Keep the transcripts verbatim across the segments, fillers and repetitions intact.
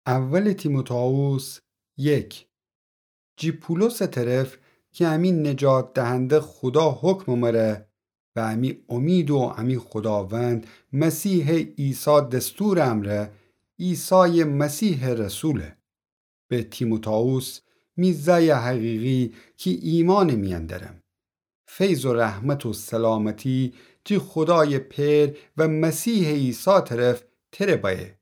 اول تیموتائوس یک. جی پولس طرف کی امی نجات دهنده خودا حکم مره و امی امید و امی خوداوند مسیح عیسی دستور امره، عیسی مسیح رسوله. به تیموتائوس، می زای حقیقی کی ایمان میان درم. فیض و رحمت و سلامتی جی خودای پئر و مسیح عیسی طرف تره بایه.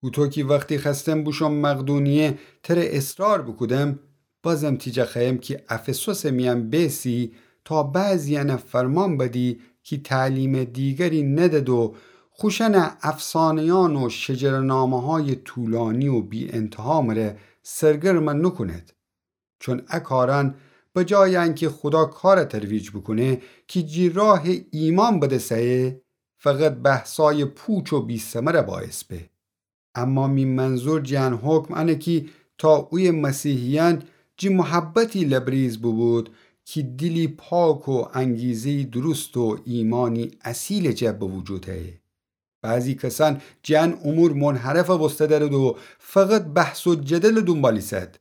اوتو کی وختی خوأستم بوشوم مقدونیه تره اصرار بوکودم، بازم تی جا خوأیم کی افسوس میان بیسی تا بعضیأنه فرمان بدی کی تعلیم دیگری ندد و خوشأنه افسانه‌یأن و شجره‌نامه‌های طولانی و بی‌انتها مره سرگرم نوکوند. چون ا کارأن به جای انکی خودا کار ترویج بوکونه کی جی راه ایمان بده سه‌یه، فقط بحثای پوچ و بی‌ثمر باعث به. اما می منظور جی ان حکم انه کی تا اویه مسیحیأن جی محبتی لبریز بوبود کی دیلی پاک و انگیزه‌ی درست و ایمانی اصیل جا به وجود ایه. بعضی کسأن جی ان امور منحرف بوسته درد و فقط بحث و جدل دونبال ایسد.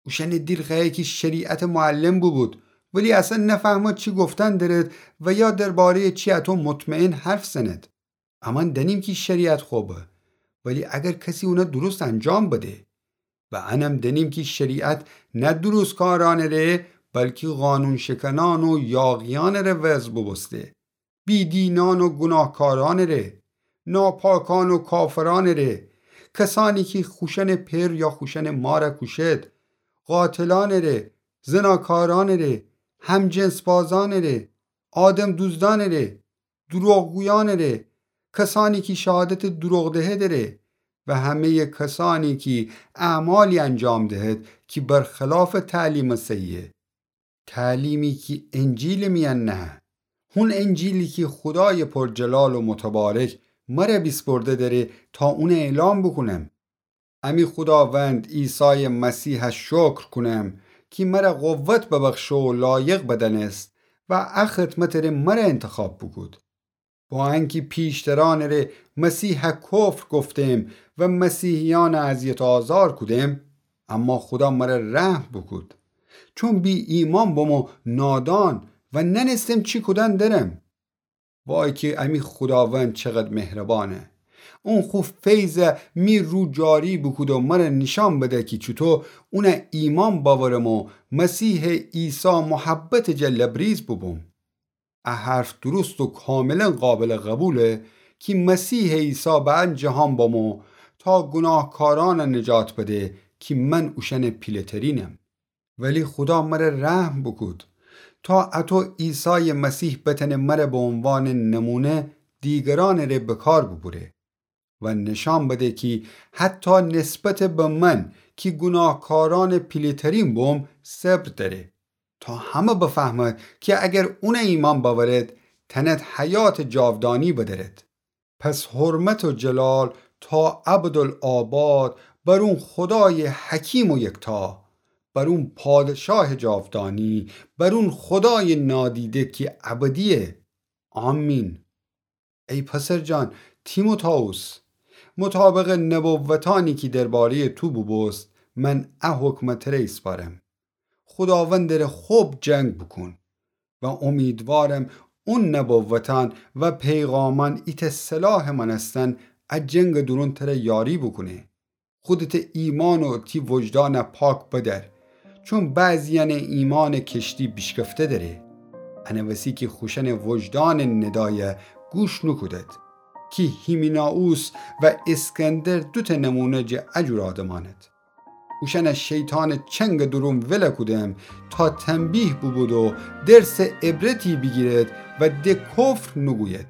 اوشأنه دیل خوأیه کی شریعت معلم بوبود، ولی اصلاً نفهمد چی گفتن درد و یا درباره‌ی چی اتو مطمئن حرف زند. امأن دأنیم کی شریعت خوبه، ولی اگر کسی اونه درست انجام بده. و انم دأنیم کی شریعت نه درستکارأنٚ ره، بلکی قانون‌شکنأن و یاغیأنٚ ره وضع بوبوسته. بی‌دینأن و گوناهکارأنٚ ره، ناپاکأن و کافرأنٚ ره، کسأنی کی خوشأنٚ پئر یا خوشأنٚ مار کوشد، قاتلأنٚ ره، زناکارأنٚ ره، همجنس‌بازأنٚ ره، آدم دوزدأنٚ ره، دروغگویأنٚ ره، کسأنی کی شهادتٚ دروغ دهدٚ ره و همه‌یٚ کسأنی کی اعمالی انجام دهد کی برخلافٚ تعلیمٚ صحیحه. تعلیمی کی انجیلٚ میأن نهه. هون انجیلی کی خودایٚ پرجلال و متبارک مره بیسپرده دره تا اونه اعلام بوکونم. امی خوداوند عیسایٚ مسیحه شکر کونم کی مره قوت ببخشه و لایق بدأنست و ا خدمتٚ ره مره انتخاب بوکود. با انکی پیشترأنٚ ره مسیحه کفر گفتم و مسیحیأنه اذیت و آزار کودم، اما خودا مره رحم بوکود. چون بی‌ایمأن بوم و نادان و نأنستم چی کودن درم. وای کی امی خوداوند چقد مهربأنه. اون خو فیضه می رو جاری بوکود و مره نیشأن بده کی چوطو اونه ایمأن بأورم و مسیحٚ عیسی محبتٚ جا لبریز بوبوم. ا حرف درست و کاملاً قابلٚ قبوله کی مسیحٚ عیسی به ان جهان بمو تا گوناهکارأنه نجات بده کی من اوشأنٚ پیله‌ترینم. ولی خودا مره رحم بوکود تا اتو عیسایٚ مسیح بتأنه مره به عنوانٚ نمونه دیگرأنٚ ره به کار بوبوره و نشأن بده کی حتی نسبتٚ به من کی گوناهکارأنٚ پیله‌ترین بوم صبر دأره، تا همه بفهمد کی اگر اونه ایمأن بأورد تأند حیاتٚ جاودانی بدأرد. پس حرمت و جلال تا ابدالآباد بر اون خودایٚ حکیم و یکتا، بر اون پادشاهٚ جاودانی، بر اون خودایٚ نادیده کی ابدیه. آمین. ای پسرجان تیموتائوس، مطابقٚ نبوتأنی کی درباره‌یٚ تو بوبوست، من ا حکمه تره ایسپارم. خوداوندٚ ره خب جنگ بوکون و امیدوارم اون نبوتأن و پیغامأن ایتأ سلاحٚ مأنستن ا جنگٚ دورون تره یاری بوکونه. خودتٚ ایمأن و تی وجدانه پاک بدأر، چون بعضیأنٚ ایمأنٚ کشتی بیشکفته دأره. انه وسی کی خوشأنٚ وجدانٚ ندایه گوش نوکودد. کی هیمینائوس و اسکندر دوتأ نمونه جٚه ا جور آدمأند. اوشأنه شیطانٚ چنگٚ دورون ول کودم تا تنبیه بوبود و درسٚ عبرتی بیگیرد و د کفر نوگوید.